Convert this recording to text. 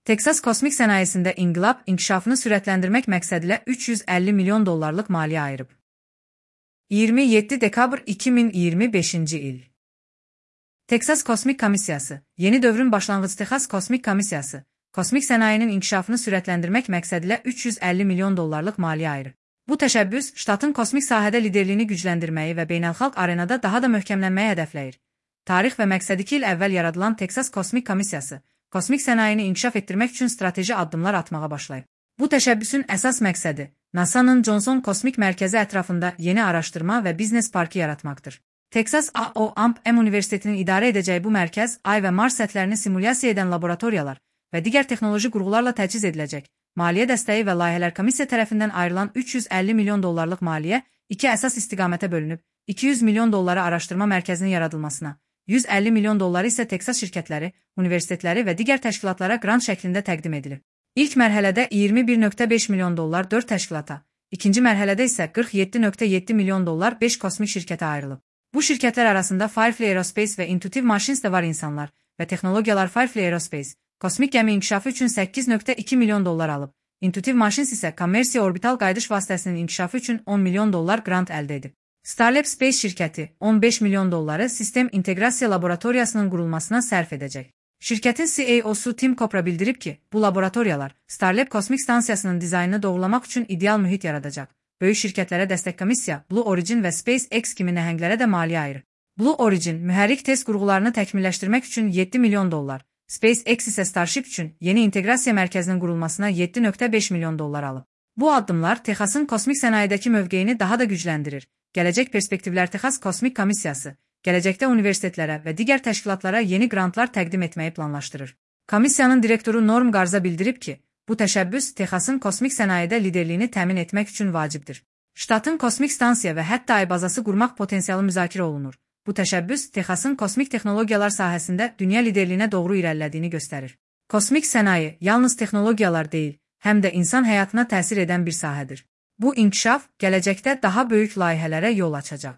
Texas kosmik sənayesində inqilab inkişafını sürətləndirmək məqsədilə $350 milyon maliyyə ayırıb. 27 dekabr 2025-ci il. Texas Kosmik Komissiyası, yeni dövrün başlanğıcı Texas Kosmik Komissiyası, kosmik sənayenin inkişafını sürətləndirmək məqsədilə $350 milyon maliyyə ayırır. Bu təşəbbüs, ştatın kosmik sahədə liderliyini gücləndirməyi və beynəlxalq arenada daha da möhkəmlənməyi hədəfləyir. Tarix və məqsədi 2 il əvvəl yaradılan Texas Kosmik Komissiyası, kosmik sənayeni inkişaf etdirmək üçün strateji addımlar atmağa başlayıb. Bu təşəbbüsün əsas məqsədi, NASA'nın Johnson Kosmik Mərkəzi ətrafında yeni araşdırma və biznes parkı yaratmaqdır. Texas A&M Universitetinin idarə edəcəyi bu mərkəz, Ay və Mars səthlərini simulyasiya edən laboratoriyalar və digər texnoloji qurğularla təchiz ediləcək. Maliyyə dəstəyi və layihələr komissiya tərəfindən ayrılan $350 milyon maliyyə iki əsas istiqamətə bölünüb, $200 milyon araşdırma mərkəzinin yaradılmasına, $150 milyon isə Texas şirkətləri, universitetləri və digər təşkilatlara qrant şəklində təqdim edilib. İlk mərhələdə $21.5 milyon 4 təşkilata, ikinci mərhələdə isə $47.7 milyon 5 kosmik şirkətə ayrılıb. Bu şirkətlər arasında Firefly Aerospace və Intuitive Machines də var. İnsanlar və texnologiyalar Firefly Aerospace, kosmik gəmi inkişafı üçün $8.2 milyon alıb. Intuitive Machines isə kommersiya orbital qayıdış vasitəsinin inkişafı üçün $10 milyon qrant əldə edib. Starlab Space şirkəti $15 milyon sistem inteqrasiya laboratoriyasının qurulmasına sərf edəcək. Şirkətin CEO-su Tim Kopra bildirib ki, bu laboratoriyalar Starlab kosmik stansiyasının dizaynını doğrulamaq üçün ideal mühit yaradacaq. Böyük şirkətlərə dəstək komissiya Blue Origin və SpaceX kimi nəhənglərə də maliyyə ayırır. Blue Origin mühərrik test qurğularını təkmilləşdirmək üçün $7 milyon, SpaceX isə Starship üçün yeni inteqrasiya mərkəzinin qurulmasına $7.5 milyon alıb. Bu addımlar Texasın kosmik sənayedəki mövqeyini daha da gücləndirir. Gələcək perspektivlər Texas Kosmik Komissiyası, gələcəkdə universitetlərə və digər təşkilatlara yeni qrantlar təqdim etməyi planlaşdırır. Komissiyanın direktoru Norm Garza bildirib ki, bu təşəbbüs Texasın kosmik sənayedə liderliyini təmin etmək üçün vacibdir. Ştatın kosmik stansiya və hətta ay bazası qurmaq potensialı müzakirə olunur. Bu təşəbbüs Texasın kosmik texnologiyalar sahəsində dünya liderliyinə doğru irəlilədiyini göstərir. Kosmik sənaye yalnız texnologiyalar deyil, həm də insan həyatına təsir edən bir sahədir. Bu inkişaf gələcəkdə daha böyük layihələrə yol açacaq.